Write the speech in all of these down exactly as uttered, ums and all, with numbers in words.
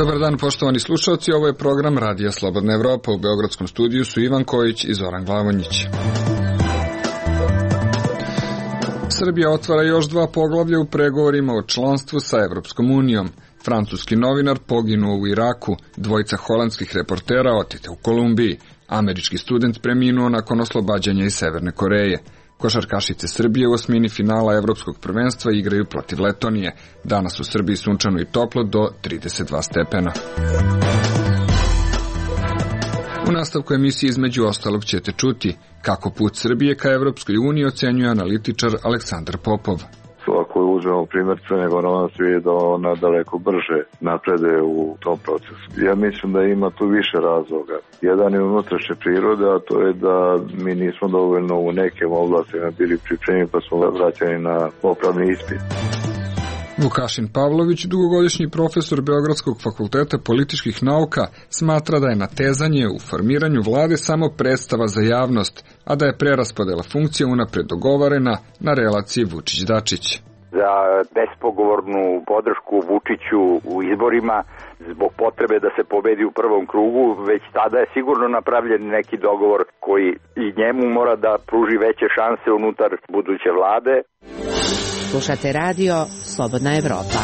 Dobar dan, poštovani slušalci, ovo je program Radija Slobodna Evropa. U beogradskom studiju su Ivan Kojić i Zoran Glavonjić. Srbija otvara još dva poglavlja u pregovorima o članstvu sa Evropskom unijom. Francuski novinar poginuo u Iraku, dvojica holandskih reportera otete u Kolumbiji, američki student preminuo nakon oslobađanja iz Severne Koreje. Košarkašice Srbije u osmini finala Evropskog prvenstva igraju protiv Letonije. Danas u Srbiji sunčano i toplo do trideset dva stepena. U nastavku emisije između ostalog ćete čuti kako put Srbije ka Evropskoj uniji ocenjuje analitičar Aleksandar Popov. Ako uzmemo primjer Crne Gore, ona se vidi da ona daleko brže naprede u tom procesu. Ja mislim da ima tu više razloga. Jedan je unutrašnje prirode, a to je da mi nismo dovoljno u nekim oblastima bili pripremljeni, pa smo vraćani na popravni ispit. Vukašin Pavlović, dugogodišnji profesor Beogradskog fakulteta političkih nauka, smatra da je natezanje u formiranju vlade samo predstava za javnost, a da je preraspodela funkcija unapred dogovorena na relaciji Vučić-Dačić. Za bespogovornu podršku Vučiću u izborima zbog potrebe da se pobedi u prvom krugu, već tada je sigurno napravljen neki dogovor koji i njemu mora da pruži veće šanse unutar buduće vlade. Slušate radio Slobodna Evropa.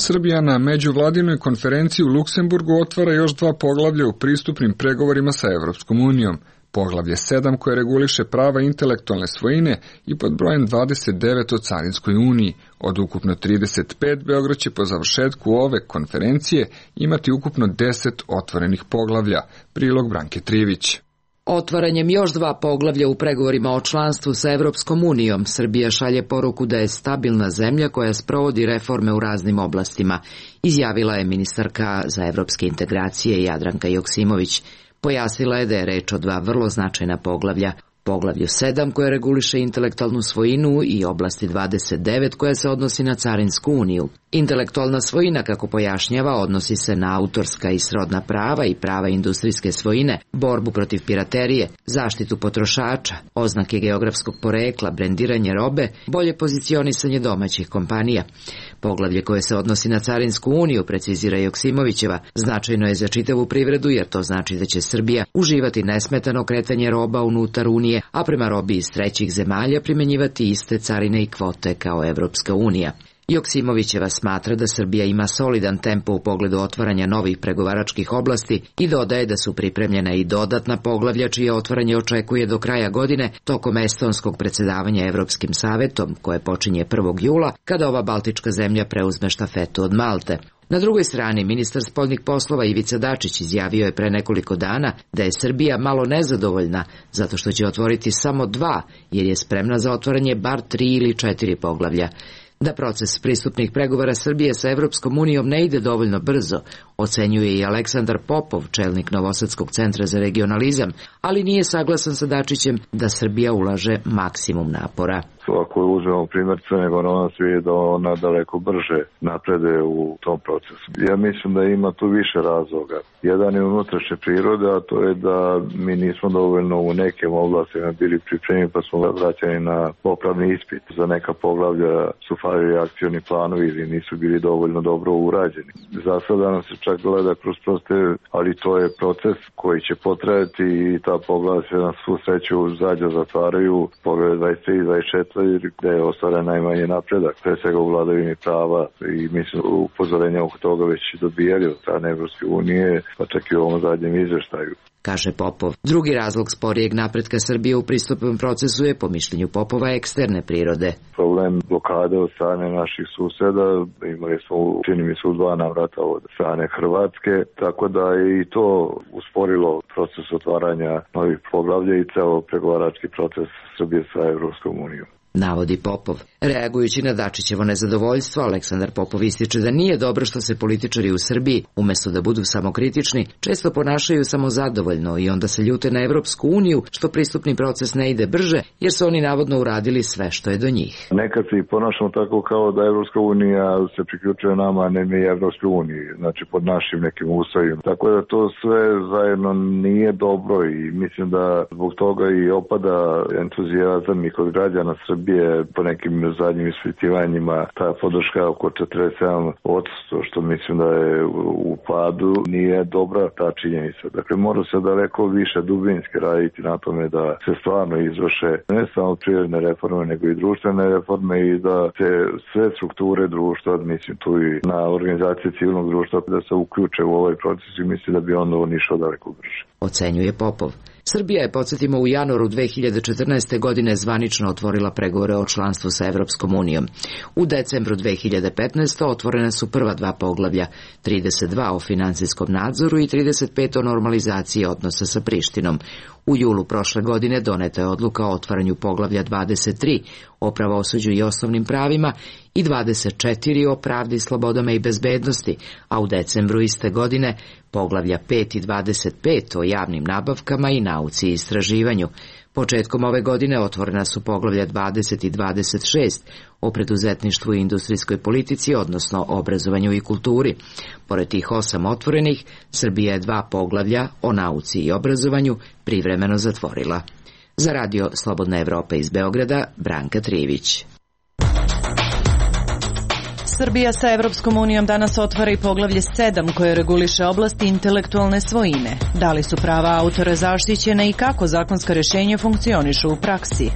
Srbija na međuvladinoj konferenciji u Luksemburgu otvara još dva poglavlja u pristupnim pregovorima sa Evropskom unijom. Poglavlje sedam koje reguliše prava intelektualne svojine i pod brojem dvadeset devet o Carinskoj uniji. Od ukupno trideset pet, Beograd će po završetku ove konferencije imati ukupno deset otvorenih poglavlja. Prilog Branke Trivić. Otvaranjem još dva poglavlja u pregovorima o članstvu sa Evropskom unijom, Srbija šalje poruku da je stabilna zemlja koja sprovodi reforme u raznim oblastima, izjavila je ministarka za evropske integracije Jadranka Joksimović. Pojasnila je da je reč o dva vrlo značajna poglavlja. Poglavlju sedam koje reguliše intelektualnu svojinu i oblasti dvadeset devet koja se odnosi na Carinsku uniju. Intelektualna svojina, kako pojašnjava, odnosi se na autorska i srodna prava i prava industrijske svojine, borbu protiv piraterije, zaštitu potrošača, oznake geografskog porekla, brendiranje robe, bolje pozicionisanje domaćih kompanija. Poglavlje koje se odnosi na Carinsku uniju, precizira Joksimovićeva, značajno je za čitavu privredu jer to znači da će Srbija uživati nesmetano kretanje roba unutar unije, a prema robi iz trećih zemalja primjenjivati iste carine i kvote kao Evropska unija. Joksimovićeva smatra da Srbija ima solidan tempo u pogledu otvaranja novih pregovaračkih oblasti i dodaje da su pripremljena i dodatna poglavlja čije otvaranje očekuje do kraja godine tokom estonskog predsjedavanja Evropskim savetom, koje počinje prvog jula, kada ova baltička zemlja preuzme štafetu od Malte. Na drugoj strani, ministar spoljnih poslova Ivica Dačić izjavio je pre nekoliko dana da je Srbija malo nezadovoljna zato što će otvoriti samo dva, jer je spremna za otvaranje bar tri ili četiri poglavlja. Da proces pristupnih pregovora Srbije sa Evropskom unijom ne ide dovoljno brzo, ocenjuje i Aleksandar Popov, čelnik Novosadskog centra za regionalizam, ali nije saglasan sa Dačićem da Srbija ulaže maksimum napora. Ako uzmemo primjer Crne Gore, ona se vidi da ona daleko brže naprede u tom procesu. Ja mislim da ima tu više razloga. Jedan je unutrašnje prirode, a to je da mi nismo dovoljno u nekim oblastima bili pripremljeni, pa smo vraćani na popravni ispit. Za neka poglavlja su falili akcioni planovi ili nisu bili dovoljno dobro urađeni. Za sada nam se čak gleda kroz proste, ali to je proces koji će potrajati i ta poglavlja se na svu sreću zađa zatvaraju. Poglavlje dvadeset tri i dvadeset četiri gde je ostvaren najmanje napredak, pre svega u vladavini prava i mislim upozorenja oko toga već dobijali od strane Evropske unije, pa čak i u ovom zadnjem izveštaju. Kaže Popov. Drugi razlog sporijeg napretka Srbije u pristupnom procesu je, po mišljenju Popova, eksterne prirode. Problem blokade od strane naših suseda, imali smo, čini mi se, u dva navrata od strane Hrvatske, tako da je i to usporilo proces otvaranja novih poglavlja i ceo pregovarački proces Srbije sa Evropskom unijom. Navodi Popov. Reagujući na Dačićevo nezadovoljstvo, Aleksandar Popov ističe da nije dobro što se političari u Srbiji, umesto da budu samokritični, često ponašaju samozadovoljno i onda se ljute na Evropsku uniju što pristupni proces ne ide brže, jer su oni navodno uradili sve što je do njih. Nekad se i ponašamo tako kao da Evropska unija se priključuje nama, a ne mi Evropskoj uniji, znači pod našim nekim uslovima. Tako da to sve zajedno nije dobro i mislim da zbog toga i opada entuzijazam i kod građana Srbije Srbije po nekim zadnjim ispitivanjima ta podrška oko četrdeset sedam posto, što mislim da je u padu, nije dobra ta činjenica. Dakle, mora se daleko više dubinski raditi na tome da se stvarno izvrše ne samo privredne reforme, nego i društvene reforme i da se sve strukture društva, mislim tu i na organizacije civilnog društva, da se uključe u ovaj proces i mislim da bi onda on išao daleko brže. Ocenjuje Popov. Srbija je, podsjetimo, u januaru dve hiljade četrnaeste. godine zvanično otvorila pregovore o članstvu sa Evropskom unijom. U decembru dve hiljade petnaeste. otvorena su prva dva poglavlja, trideset dva o finansijskom nadzoru i trideset pet o normalizaciji odnosa sa Prištinom. U julu prošle godine doneta je odluka o otvaranju poglavlja dvadeset tri o pravosuđu i osnovnim pravima i dvadeset četiri o pravdi, slobodama i bezbednosti, a u decembru iste godine poglavlja pet i dvadeset pet o javnim nabavkama i nauci i istraživanju. Početkom ove godine otvorena su poglavlja dvadeset i dvadeset šest o preduzetništvu i industrijskoj politici, odnosno obrazovanju i kulturi. Pored tih osam otvorenih, Srbija je dva poglavlja o nauci i obrazovanju privremeno zatvorila. Za radio Slobodna Evropa iz Beograda, Branka Trivić. Srbija sa Evropskom unijom danas otvara i poglavlje sedam koje reguliše oblasti intelektualne svojine. Da li su prava autora zaštićena i kako zakonska rješenja funkcionišu u praksi?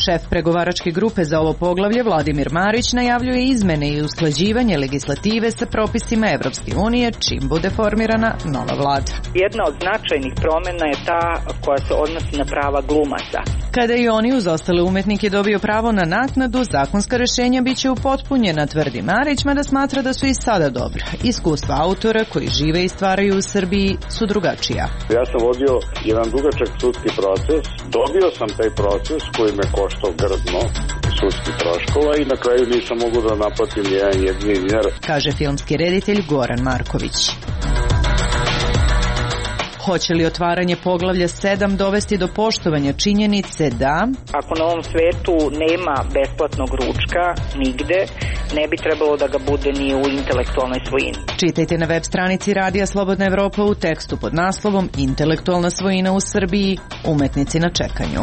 Šef pregovaračke grupe za ovo poglavlje, Vladimir Marić, najavljuje izmene i usklađivanje legislative sa propisima Evropske unije čim bude formirana nova vlada. Jedna od značajnih promjena je ta koja se odnosi na prava glumaca. Kada i oni uz ostale umetnike dobiju pravo na naknadu, zakonska rješenja bit će upotpunjena, tvrdi Marić, mada smatra da su i sada dobra. Iskustva autora koji žive i stvaraju u Srbiji su drugačija. Ja sam vodio jedan dugačak sudski proces, dobio sam taj proces koji me koštao grdno sudskih troškova i na kraju nisam mogu da naplatim jedan jedini dinar, kaže filmski reditelj Goran Marković. Hoće li otvaranje poglavlja sedam dovesti do poštovanja činjenice da ako na ovom svetu nema besplatnog ručka nigde, ne bi trebalo da ga bude ni u intelektualnoj svojini. Čitajte na web stranici Radija Slobodna Evropa u tekstu pod naslovom Intelektualna svojina u Srbiji, umetnici na čekanju.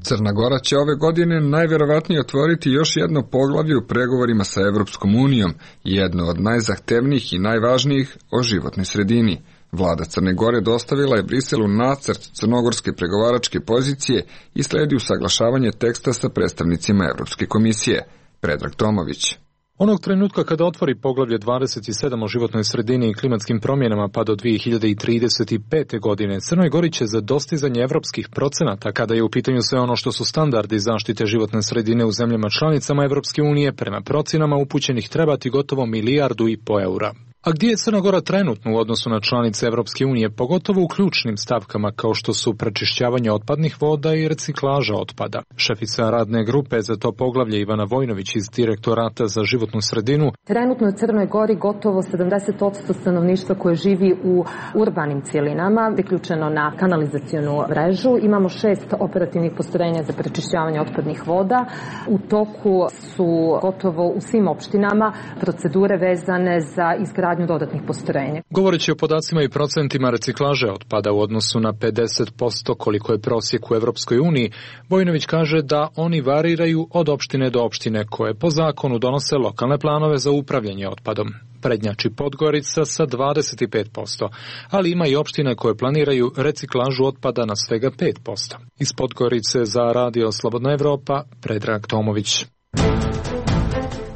Crna Gora će ove godine najverovatnije otvoriti još jedno poglavlje u pregovorima sa Evropskom unijom, jedno od najzahtevnijih i najvažnijih o životnoj sredini. Vlada Crne Gore dostavila je Briselu nacrt crnogorske pregovaračke pozicije i sledi usaglašavanje teksta sa predstavnicima Evropske komisije. Predrag Tomović. Onog trenutka kada otvori poglavlje dvadeset sedam o životnoj sredini i klimatskim promjenama pa do dve hiljade trideset pete. godine, Crnoj Gori će za dostizanje evropskih procenata, kada je u pitanju sve ono što su standardi zaštite životne sredine u zemljama članicama Evropske unije, prema procenama upućenih trebati gotovo milijardu i po eura. A gdje je Crna Gora trenutno u odnosu na članice Evropske unije, pogotovo u ključnim stavkama kao što su prečišćavanje otpadnih voda i reciklaža otpada? Šefica radne grupe za to poglavlje Ivana Vojnović iz Direktorata za životnu sredinu. Trenutno je u Crnoj Gori gotovo sedamdeset posto stanovništva koje živi u urbanim cjelinama, priključeno na kanalizacionu mrežu. Imamo šest operativnih postrojenja za prečišćavanje otpadnih voda. U toku su gotovo u svim opštinama procedure vezane za izgradnju dodatnih postrojenja. Govoreći o podacima i procentima reciklaže otpada u odnosu na pedeset posto koliko je prosjek u Evropskoj uniji, Vojnović kaže da oni variraju od opštine do opštine koje po zakonu donose lokalne planove za upravljanje otpadom. Prednjači Podgorica sa dvadeset pet posto, ali ima i opštine koje planiraju reciklažu otpada na svega pet posto. Iz Podgorice za Radio Slobodna Evropa, Predrag Tomović.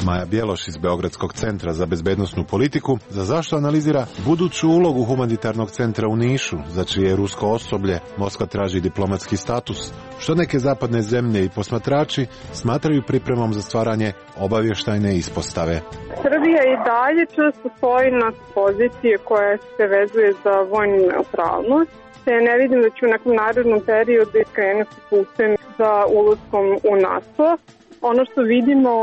Maja Bjeloš iz Beogradskog centra za bezbednosnu politiku za zašto analizira buduću ulogu humanitarnog centra u Nišu, za čije rusko osoblje Moskva traži diplomatski status, što neke zapadne zemlje i posmatrači smatraju pripremom za stvaranje obavještajne ispostave. Srbija i dalje često stoji na pozicije koja se vezuje za vojnu neutralnost, te ne vidim da će u nekom narednom periodu iskrenuti putem za ulaskom u NATO. Ono što vidimo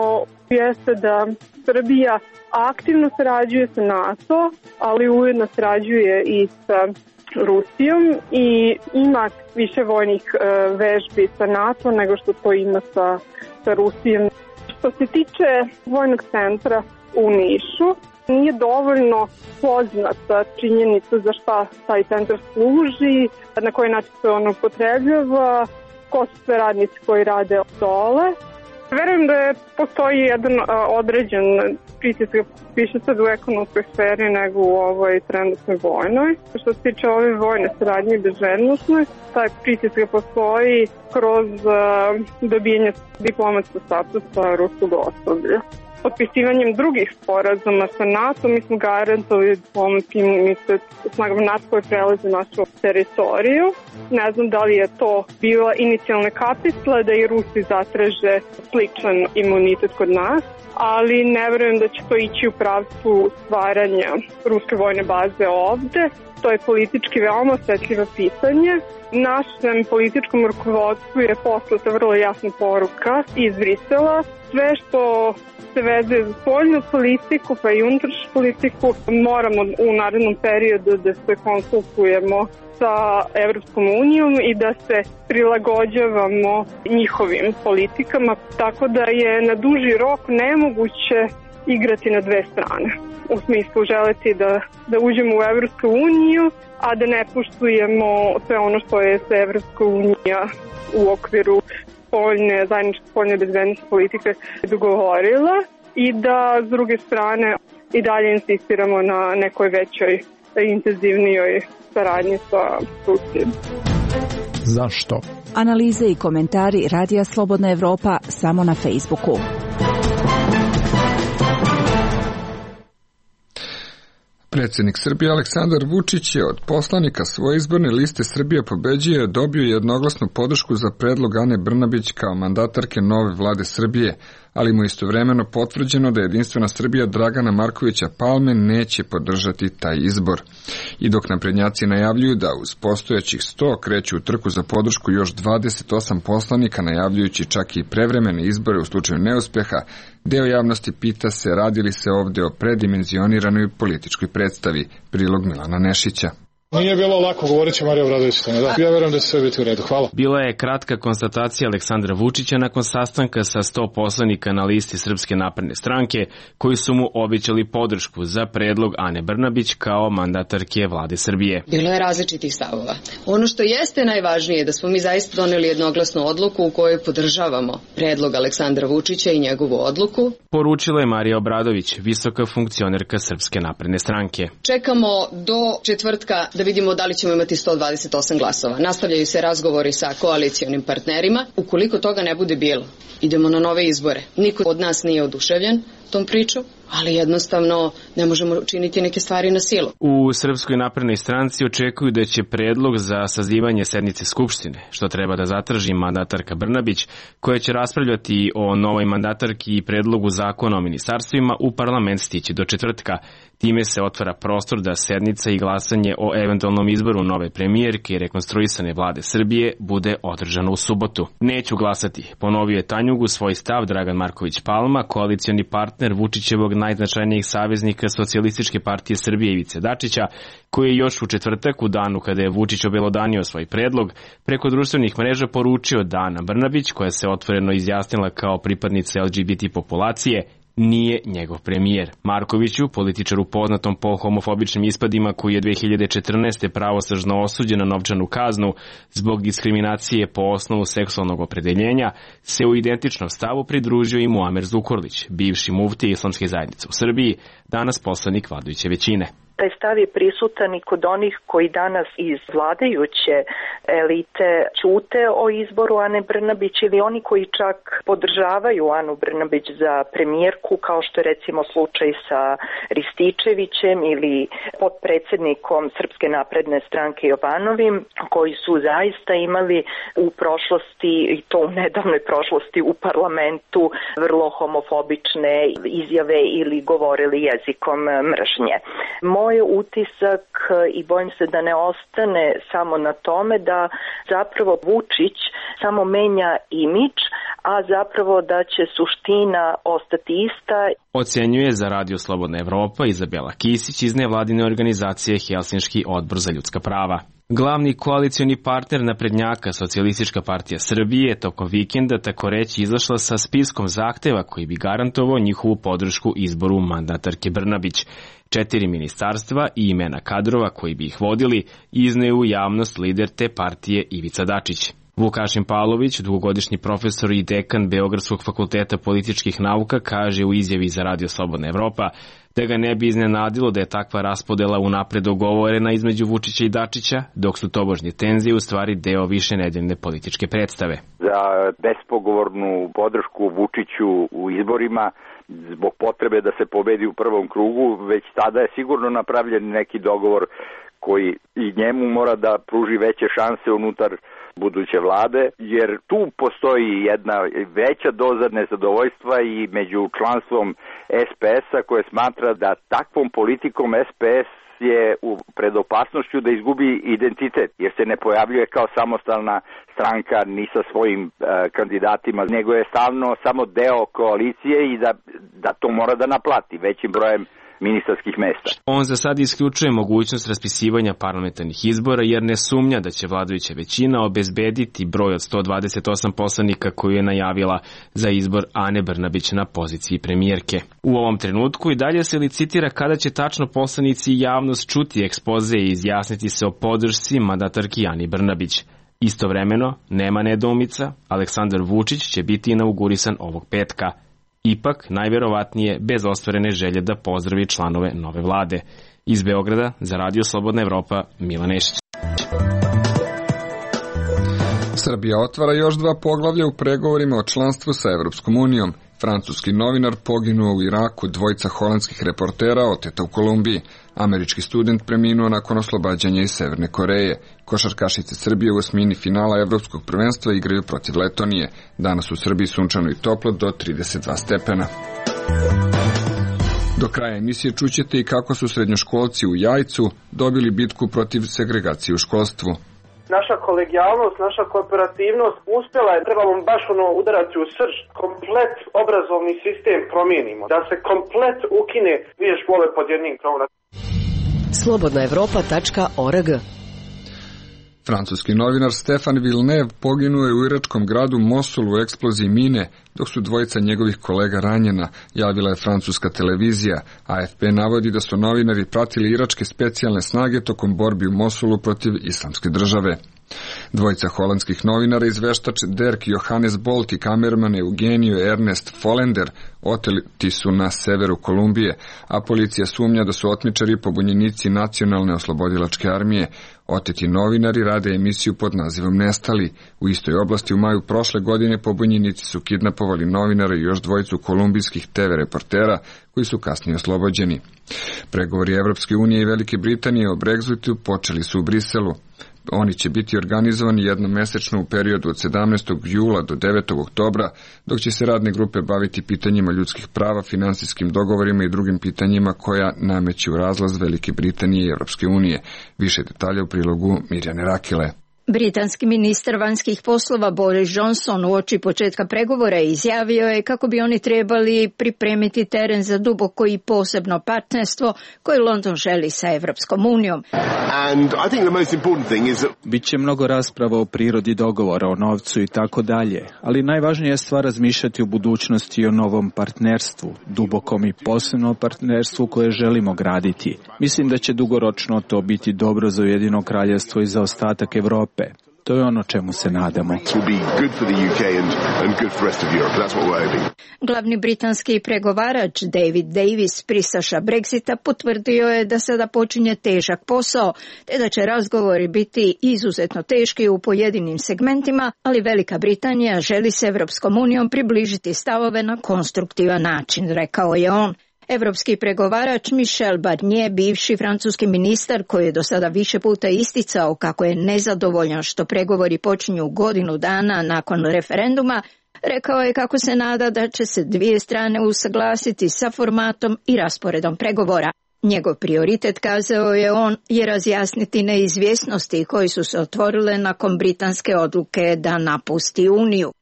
jeste da Srbija aktivno sarađuje sa NATO, ali ujedno sarađuje i sa Rusijom i ima više vojnih e, vežbi sa NATO nego što to ima sa, sa Rusijom. Što se tiče vojnog centra u Nišu, Nije dovoljno poznata činjenica za šta taj centar služi, na koji način se on upotrebljava, ko su sve radnici koji rade dole. Verujem da je, postoji jedan a, određen pritisak, više sad u ekonomskoj sferi nego u ovoj trenutnoj vojnoj. Što se tiče ove vojne saradnje i bezbednosne, taj pritisak postoji kroz a, dobijanje diplomatskog statusa ruskog osoblja. Potpisivanjem drugih sporazuma sa NATO mi smo garantovali diplomatskim snagama NATO koje prelaze našu teritoriju. Ne znam da li je to bila inicijalna kapisla da i Rusi zatraže sličan imunitet kod nas, ali ne verujem da će to ići u pravcu stvaranja ruske vojne baze ovde. To je politički veoma osetljivo pitanje. Našem političkom rukovodstvu je poslata vrlo jasna poruka iz Brisela. Sve što se vezuje za spoljnu politiku pa i unutrašnju politiku moramo u narednom periodu da se konsultujemo sa Evropskom unijom i da se prilagođavamo njihovim politikama, tako da je na duži rok nemoguće igrati na dve strane. U smislu želeti da, da uđemo u Evropsku uniju, a da ne poštujemo sve ono što je se Evropska unija u okviru spoljne, zajedničke spoljne bezbednosne politike dogovorila i da s druge strane i dalje insistiramo na nekoj većoj, intenzivnijoj saradnji sa Rusijom. Zašto? Analize i komentari Radija Slobodna Evropa samo na Facebooku. Predsjednik Srbije Aleksandar Vučić je od poslanika svoje izborne liste Srbija pobeđuje dobio jednoglasnu podršku za predlog Ane Brnabić kao mandatarke nove vlade Srbije, ali mu istovremeno potvrđeno da Jedinstvena Srbija Dragana Markovića Palme neće podržati taj izbor. I dok naprednjaci najavljuju da uz postojećih sto kreću u trku za podršku još dvadeset osam poslanika, najavljujući čak i prevremene izbore u slučaju neuspeha, deo javnosti pita se radi li se ovde o predimenzioniranoj političkoj predstavi. Prilog Milana Nešića. Nije bilo lako, govorit će Marija Obradović. Da. Ja verujem da će sve biti u redu. Hvala. Bila je kratka konstatacija Aleksandra Vučića nakon sastanka sa sto poslanika na listi Srpske napredne stranke, koji su mu obećali podršku za predlog Ane Brnabić kao mandatarke vlade Srbije. Bilo je različitih stavova. Ono što jeste najvažnije je da smo mi zaista doneli jednoglasnu odluku u kojoj podržavamo predlog Aleksandra Vučića i njegovu odluku. Poručila je Marija Obradović, visoka funkcionerka Srpske napredne stranke. Čekamo do četvrtka da vidimo da li ćemo imati sto dvadeset osam glasova. Nastavljaju se razgovori sa koalicionim partnerima. Ukoliko toga ne bude bilo, idemo na nove izbore. Niko od nas nije oduševljen tom priču, ali jednostavno ne možemo učiniti neke stvari na silu. U Srpskoj naprednoj stranci očekuju da će predlog za sazivanje sednice Skupštine, što treba da zatraži mandatarka Brnabić, koja će raspravljati o novoj mandatarki i predlogu zakona o ministarstvima, u parlament stići do četvrtka. Time se otvara prostor da sednica i glasanje o eventualnom izboru nove premijerke i rekonstruisane vlade Srbije bude održano u subotu. Neću glasati, ponovio je Tanjugu svoj stav Dragan Marković Palma, koalicioni partner Vučićevog najznačajnijih saveznika Socijalističke partije Srbije Ivice Dačića, koji je još u četvrtak, u danu kada je Vučić obelodanio svoj predlog, preko društvenih mreža poručio da Ana Brnabić, koja se otvoreno izjasnila kao pripadnica L G B T populacije, nije njegov premijer. Markoviću, političaru poznatom po homofobičnim ispadima, koji je dve hiljade četrnaeste pravosnažno osuđen na novčanu kaznu zbog diskriminacije po osnovu seksualnog opredeljenja, se u identičnom stavu pridružio i Muamer Zukorlić, bivši muftija Islamske zajednice u Srbiji, danas poslanik vladajuće većine. Taj stav je prisutan i kod onih koji danas iz vladajuće elite ćute o izboru Ane Brnabić ili oni koji čak podržavaju Anu Brnabić za premijerku, kao što je recimo slučaj sa Rističevićem ili potpredsjednikom Srpske napredne stranke Jovanovim, koji su zaista imali u prošlosti, i to u nedavnoj prošlosti, u parlamentu vrlo homofobične izjave ili govorili jezikom mržnje. Moj utisak, i bojim se da ne ostane samo na tome, da zapravo Vučić samo menja imidž, a zapravo da će suština ostati ista. Ocenjuje za Radio Slobodna Evropa Izabela Kisić iz nevladine organizacije Helsinški odbor za ljudska prava. Glavni koalicioni partner naprednjaka, Socijalistička partija Srbije, tokom vikenda tako reći izašla sa spiskom zahteva koji bi garantovao njihovu podršku izboru mandatarke Brnabić. Četiri ministarstva i imena kadrova koji bi ih vodili izneo u javnost lider te partije Ivica Dačić. Vukašin Pavlović, dugogodišnji profesor i dekan Beogradskog fakulteta političkih nauka, kaže u izjavi za Radio Slobodna Evropa da ga ne bi iznenadilo da je takva raspodela unapred dogovorena između Vučića i Dačića, dok su tobožnje tenzije u stvari deo više nedeljne političke predstave. Za bespogovornu podršku Vučiću u izborima zbog potrebe da se pobedi u prvom krugu, već tada je sigurno napravljen neki dogovor koji i njemu mora da pruži veće šanse unutar buduće vlade, jer tu postoji jedna veća doza nezadovoljstva i među članstvom es pe es-a koje smatra da takvom politikom es pe es je u pred opasnošću da izgubi identitet, jer se ne pojavljuje kao samostalna stranka ni sa svojim e, kandidatima, nego je stalno samo deo koalicije i da, da to mora da naplati većim brojem ministarskih mesta. On za sad isključuje mogućnost raspisivanja parlamentarnih izbora jer ne sumnja da će vladajuća većina obezbediti broj od sto dvadeset osam poslanika koju je najavila za izbor Ane Brnabić na poziciji premijerke. U ovom trenutku i dalje se licitira kada će tačno poslanici i javnost čuti ekspoze i izjasniti se o podršci mandatarki Ani Brnabić. Istovremeno, nema nedoumica, Aleksandar Vučić će biti inaugurisan ovog petka. Ipak, najverovatnije, bez ostvarene želje da pozdravi članove nove vlade. Iz Beograda, za Radio Slobodna Evropa, Milan Nešić. Srbija otvara još dva poglavlja u pregovorima o članstvu sa Evropskom unijom. Francuski novinar poginuo u Iraku, dvojica holandskih reportera oteta u Kolumbiji. Američki student preminuo nakon oslobađanja iz Severne Koreje. Košarkašice Srbije u osmini finala Evropskog prvenstva igraju protiv Letonije. Danas u Srbiji sunčano i toplo do trideset dva stepena. Do kraja emisije čućete i kako su srednjoškolci u Jajcu dobili bitku protiv segregacije u školstvu. Naša kolegijalnost, naša kooperativnost uspjela je, trebamo baš ono udarati u srž, komplet obrazovni sistem promijenimo, da se komplet ukine dvije škole pod jednim krovom. slobodna evropa tačka org. Francuski novinar Stefan Villeneuve poginuo je u iračkom gradu Mosulu u eksploziji mine, dok su dvojica njegovih kolega ranjena, javila je francuska televizija. A ef pe navodi da su novinari pratili iračke specijalne snage tokom borbi u Mosulu protiv islamske države. Dvojica holandskih novinara, izveštač Dirk Johannes Bolt i kamerman Eugenio Ernest Follender, oteti su na severu Kolumbije, a policija sumnja da su otmičari pobunjenici Nacionalne oslobodilačke armije. Oteti novinari rade emisiju pod nazivom Nestali. U istoj oblasti u maju prošle godine pobunjenici su kidnapovali novinara i još dvojicu kolumbijskih te ve reportera koji su kasnije oslobođeni. Pregovori Evropske unije i Velike Britanije o Brexitu počeli su u Briselu. Oni će biti organizovani jednomesečno u periodu od sedamnaestog jula do devetog oktobra, dok će se radne grupe baviti pitanjima ljudskih prava, finansijskim dogovorima i drugim pitanjima koja nameću razlaz Velike Britanije i Europske unije. Više detalja u prilogu Mirjane Rakile. Britanski ministar vanjskih poslova Boris Johnson uoči početka pregovora izjavio je kako bi oni trebali pripremiti teren za duboko i posebno partnerstvo koje London želi sa Evropskom unijom. Biće mnogo rasprava o prirodi dogovora, o novcu i tako dalje, ali najvažnija je stvar razmišljati o budućnosti i o novom partnerstvu, dubokom i posebnom partnerstvu koje želimo graditi. Mislim da će dugoročno to biti dobro za Ujedinjeno kraljevstvo i za ostatak Evrope. To je ono čemu se nadamo. Glavni britanski pregovarač David Davis, pristaša Brexita, potvrdio je da sada počinje težak posao, te da će razgovori biti izuzetno teški u pojedinim segmentima, ali Velika Britanija želi se Evropskom unijom približiti stavove na konstruktivan način, rekao je on. Evropski pregovarač Michel Barnier, bivši francuski ministar koji je do sada više puta isticao kako je nezadovoljan što pregovori počinju godinu dana nakon referenduma, rekao je kako se nada da će se dvije strane usaglasiti sa formatom i rasporedom pregovora. Njegov prioritet, kazao je on, je razjasniti neizvjesnosti koji su se otvorile nakon britanske odluke da napusti Uniju.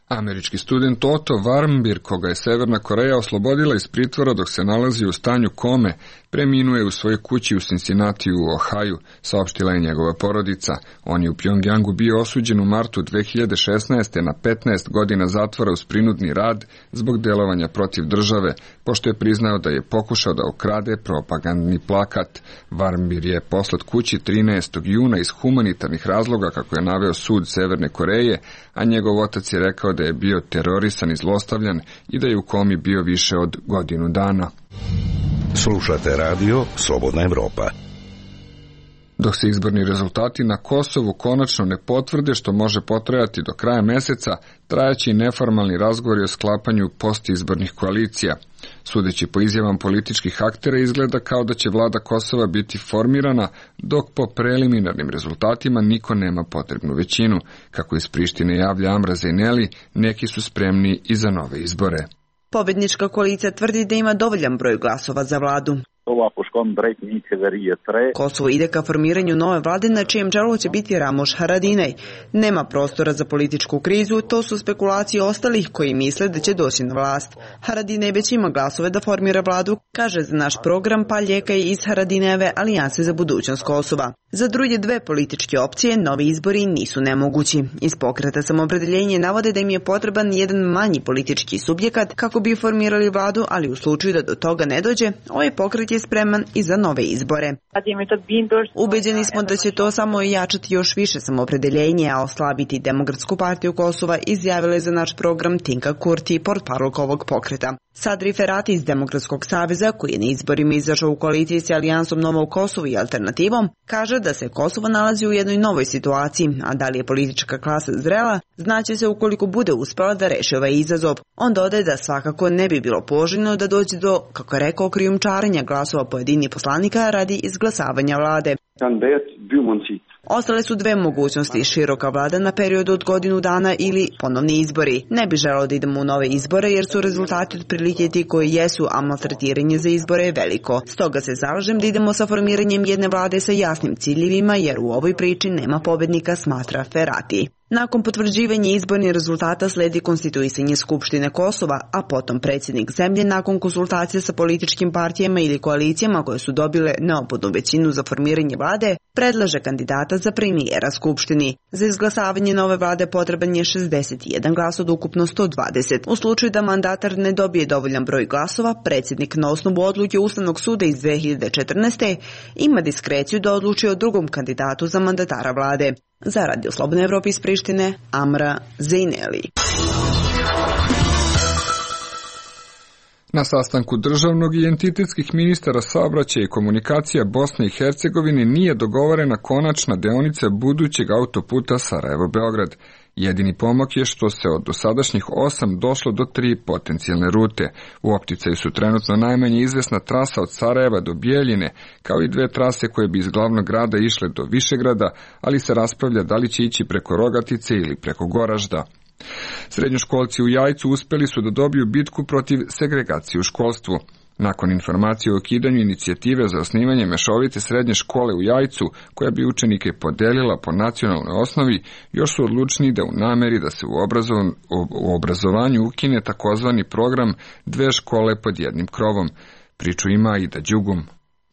Američki student Otto Warmbier, koga je Severna Koreja oslobodila iz pritvora dok se nalazi u stanju kome, preminuo je u svojoj kući u Cincinnati u Ohaju, saopštila je njegova porodica. On je u Pjongjangu bio osuđen u martu dve hiljade šesnaeste. na petnaest godina zatvora uz prinudni rad zbog delovanja protiv države, pošto je priznao da je pokušao da ukrade propagandni plakat. Varmbir je poslat kući trinaestog juna iz humanitarnih razloga, kako je naveo sud Severne Koreje, a njegov otac je rekao da je bio terorisan i zlostavljan i da je u komi bio više od godinu dana. Slušate radio Slobodna Evropa. Dok se izborni rezultati na Kosovu konačno ne potvrde, što može potrajati do kraja meseca, trajaće i neformalni razgovori o sklapanju postizbornih koalicija. Sudeći po izjavam političkih aktera, izgleda kao da će vlada Kosova biti formirana, dok po preliminarnim rezultatima niko nema potrebnu većinu. Kako iz Prištine javlja Amra Zeyneli, neki su spremni i za nove izbore. Pobednička koalicija tvrdi da ima dovoljan broj glasova za vladu. Kosovo ide ka formiranju nove vlade na čijem čelu će biti Ramoš Haradinaj. Nema prostora za političku krizu, to su spekulacije ostalih koji misle da će doći na vlast. Haradinaj već ima glasove da formira vladu, kaže za naš program Paljeka iz Haradinajeve alijanse za budućnost Kosova. Za druge dve političke opcije novi izbori nisu nemogući. Iz pokreta Samoopredeljenje navode da im je potreban jedan manji politički subjekat kako bi formirali vladu, ali u slučaju da do toga ne dođe, ovaj pokret je spreman i za nove izbore. Ubeđeni smo da će to samo jačati još više Samoopredeljenje, a oslabiti Demokratsku partiju Kosova, izjavila je za naš program Tinka Kurti, portparolk ovog pokreta. Sadri Ferati iz Demokratskog saveza, koji je na izborima izašao u koaliciji s alijansom Novo Kosovo i Alternativom, kaže da se Kosovo nalazi u jednoj novoj situaciji, a da li je politička klasa zrela, znaće se ukoliko bude uspela da reši ovaj izazov. On dodaje da svakako ne bi bilo poželjno da dođe do, kako je rekao, krijumčarenja glasova pojedinih poslanika radi izglasavanja vlade. Ostale su dve mogućnosti, široka vlada na periodu od godinu dana ili ponovni izbori. Ne bi želeo da idemo u nove izbore jer su rezultati otprilike ti koji jesu, a maltretiranje za izbore je veliko. Stoga se zalažem da idemo sa formiranjem jedne vlade sa jasnim ciljevima jer u ovoj priči nema pobednika, smatra Ferati. Nakon potvrđivanja izbornih rezultata sledi konstituisanje Skupštine Kosova, a potom predsjednik zemlje nakon konsultacija sa političkim partijama ili koalicijama koje su dobile neophodnu većinu za formiranje vlade, predlaže kandidata za premijera Skupštini. Za izglasavanje nove vlade potreban je šezdeset jedan glas od ukupno sto dvadeset. U slučaju da mandatar ne dobije dovoljan broj glasova, predsjednik na osnovu odluke Ustavnog suda iz dve hiljade četrnaeste. ima diskreciju da odluči o drugom kandidatu za mandatara vlade. Za Radio Slobodne Evrope iz Prištine, Amra Zeyneli. Na sastanku državnog i entitetskih ministara saobraćaja i komunikacija Bosne i Hercegovine nije dogovorena konačna deonica budućeg autoputa Sarajevo-Beograd. Jedini pomak je što se od dosadašnjih osam došlo do tri potencijalne rute. U opticaju su trenutno najmanje izvesna trasa od Sarajeva do Bijeljine, kao i dve trase koje bi iz glavnog grada išle do Višegrada, ali se raspravlja da li će ići preko Rogatice ili preko Goražda. Srednjoškolci u Jajcu uspeli su da dobiju bitku protiv segregacije u školstvu. Nakon informacije o ukidanju inicijative za osnivanje mešovite srednje škole u Jajcu, koja bi učenike podelila po nacionalnoj osnovi, još su odlučni da u nameri da se u, obrazovan, u obrazovanju ukine takozvani program dve škole pod jednim krovom. Priču ima Ida Đugum.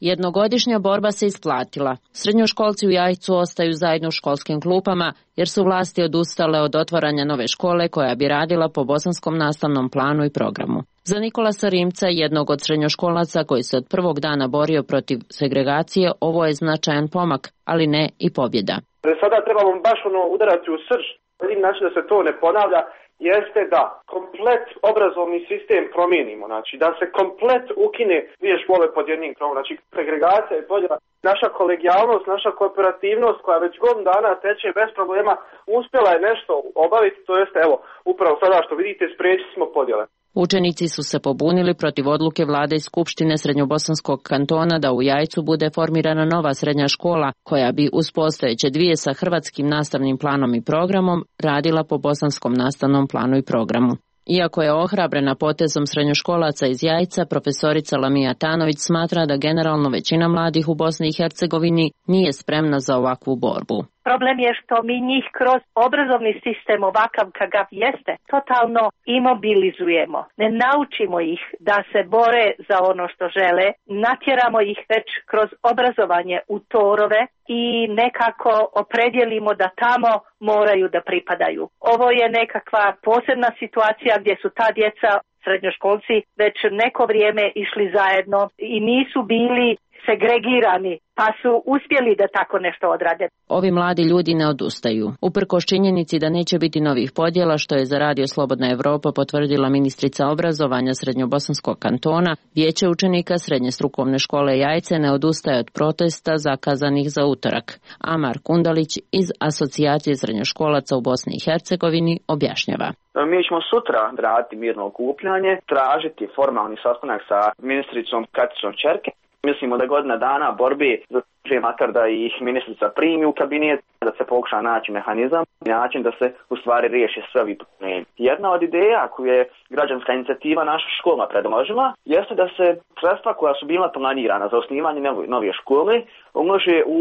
Jednogodišnja borba se isplatila. Srednjoškolci u Jajcu ostaju zajedno u školskim klupama jer su vlasti odustale od otvaranja nove škole koja bi radila po bosanskom nastavnom planu i programu. Za Nikolasa Rimca, jednog od srednjoškolaca koji se od prvog dana borio protiv segregacije, ovo je značajan pomak, ali ne i pobjeda. Sada trebamo baš ono udarati u srž, jedin način da se to ne ponavlja, jeste da komplet obrazovni sistem promijenimo, znači da se komplet ukine dvije škole pod jednim krovom, znači segregacija i podjela. Naša kolegijalnost, naša kooperativnost koja već godinu dana teče bez problema, uspjela je nešto obaviti, to jeste evo, upravo sada što vidite spriječili smo podjele. Učenici su se pobunili protiv odluke vlade i Skupštine Srednjobosanskog kantona da u Jajcu bude formirana nova srednja škola koja bi uz postojeće dvije sa hrvatskim nastavnim planom i programom radila po bosanskom nastavnom planu i programu. Iako je ohrabrena potezom srednjoškolaca iz Jajca, profesorica Lamija Tanović smatra da generalno većina mladih u Bosni i Hercegovini nije spremna za ovakvu borbu. Problem je što mi njih kroz obrazovni sistem ovakav kakav jeste totalno imobilizujemo. Ne naučimo ih da se bore za ono što žele, natjeramo ih već kroz obrazovanje u torove i nekako opredjelimo da tamo moraju da pripadaju. Ovo je nekakva posebna situacija gdje su ta djeca, srednjoškolci, već neko vrijeme išli zajedno i nisu bili segregirani, pa su uspjeli da tako nešto odrade. Ovi mladi ljudi ne odustaju. Uprkos činjenici da neće biti novih podjela, što je za Radio Slobodna Evropa potvrdila ministrica obrazovanja Srednjobosanskog kantona, vijeće učenika Srednje strukovne škole Jajce ne odustaje od protesta zakazanih za utorak. Amar Kundalić iz Asocijacije srednjoškolaca u Bosni i Hercegovini objašnjava. Mi ćemo sutra raditi mirno okupljanje, tražiti formalni sastanak sa ministricom Katicom Čerke. Mislimo da godina dana borbi za prije makar da ih ministrica primi u kabinet, da se pokuša naći mehanizam, način da se u stvari riješi sve ovi problemi. Jedna od ideja koju je građanska inicijativa naša škola predložila jeste da se sredstva koja su bila planirana za osnivanje nove škole umnože u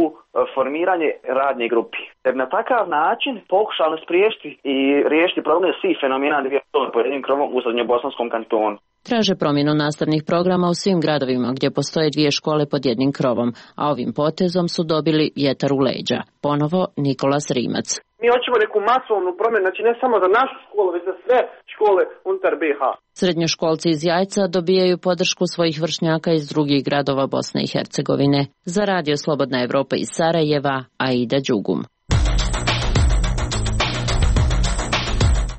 formiranje radne grupi. Jer na takav način pokušali spriječiti i riješiti problem svih fenomena dvije škole pod jednim krovom u Srednjobosanskom kantonu. Traže promjenu nastavnih programa u svim gradovima gdje postoje dvije škole pod jednim krovom, a ovim potezom su dobili vjetar u leđa. Ponovo Nikolas Rimac. Mi hoćemo neku masovnu promjenu, znači ne samo za našu školu, već za sve škole unutar B iH. Srednjoškolci iz Jajca dobijaju podršku svojih vršnjaka iz drugih gradova Bosne i Hercegovine. Za Radio Slobodna Evropa iz Sarajeva, Aida Đugum.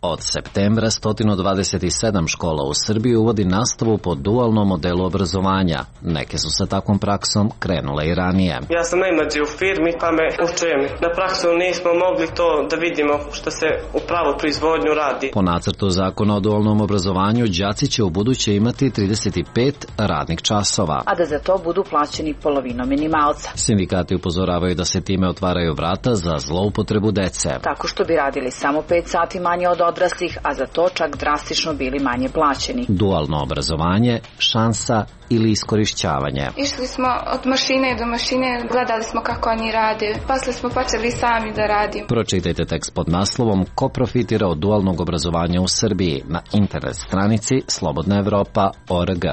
Od septembra sto dvadeset sedam škola u Srbiji uvodi nastavu po dualnom modelu obrazovanja. Neke su sa takvom praksom krenule i ranije. Ja sam najmlađi u firmi, pa me učujem. Na praksu nismo mogli to da vidimo što se u pravu proizvodnju radi. Po nacrtu zakona o dualnom obrazovanju, đaci će u buduće imati trideset pet radnih časova, a da za to budu plaćeni polovinom minimalca. Sindikati upozoravaju da se time otvaraju vrata za zloupotrebu dece. Tako što bi radili samo pet sati manje od odraslih, a za to čak drastično bili manje plaćeni. Dualno obrazovanje, šansa ili iskorišćavanje. Išli smo od mašine do mašine, gledali smo kako oni rade, posle smo počeli sami da radimo. Pročitajte tekst pod naslovom Ko profitira od dualnog obrazovanja u Srbiji na internet stranici slobodna evropa tačka org.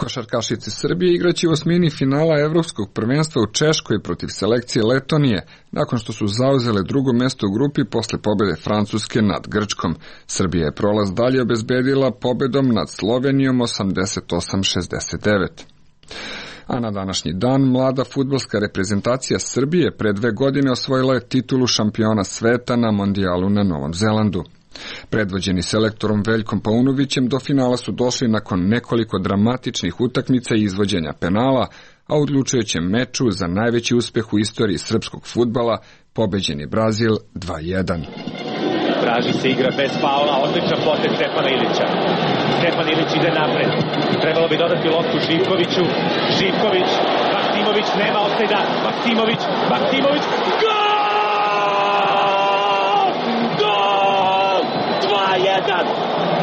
Košarkašice Srbije igraće u osmini finala Evropskog prvenstva u Češkoj protiv selekcije Letonije, nakon što su zauzele drugo mesto u grupi posle pobjede Francuske nad Grčkom. Srbija je prolaz dalje obezbedila pobedom nad Slovenijom osamdeset osam šezdeset devet. A na današnji dan mlada fudbalska reprezentacija Srbije pre dve godine osvojila je titulu šampiona sveta na mondijalu na Novom Zelandu. Predvođeni selektorom Veljkom Paunovićem do finala su došli nakon nekoliko dramatičnih utakmica i izvođenja penala, a u odlučujućem meču za najveći uspeh u istoriji srpskog fudbala pobeđen je Brazil dva jedan. Traži se igra bez faula, odličan potez Stefana Ilića. Stefan Ilić ide napred. Trebalo bi dodati loptu Živkoviću. Živković, Maksimović nema offside-a. Maksimović, Maksimović, gol! jedan.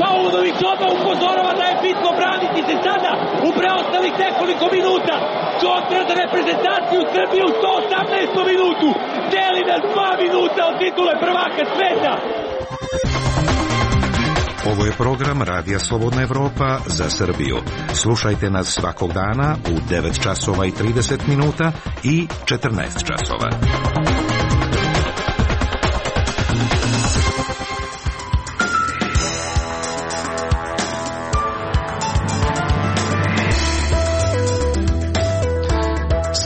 Paunović odmah upozorava da je bitno braniti se sada u preostalih nekoliko minuta. Kontra za reprezentaciju Srbije u sto osamnaestom minutu. Deli nas dva minuta od titule prvaka sveta. Ovo je program Radija Slobodna Evropa za Srbiju. Slušajte nas svakog dana u devet časova i trideset minuta i četrnaest časova.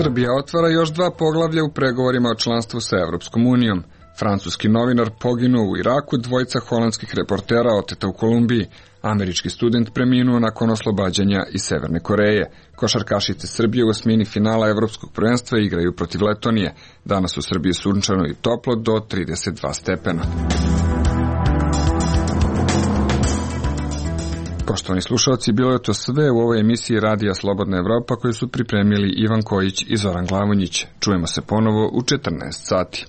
Srbija otvara još dva poglavlja u pregovorima o članstvu sa Evropskom unijom. Francuski novinar poginuo u Iraku, dvojica holandskih reportera oteta u Kolumbiji. Američki student preminuo nakon oslobađanja iz Severne Koreje. Košarkašice Srbije u osmini finala Evropskog prvenstva igraju protiv Letonije. Danas u Srbiji sunčano i toplo do trideset dva stepena. Poštovani slušalci, bilo je to sve u ovoj emisiji Radija Slobodna Evropa koju su pripremili Ivan Kojić i Zoran Glavonjić. Čujemo se ponovo u četrnaest sati.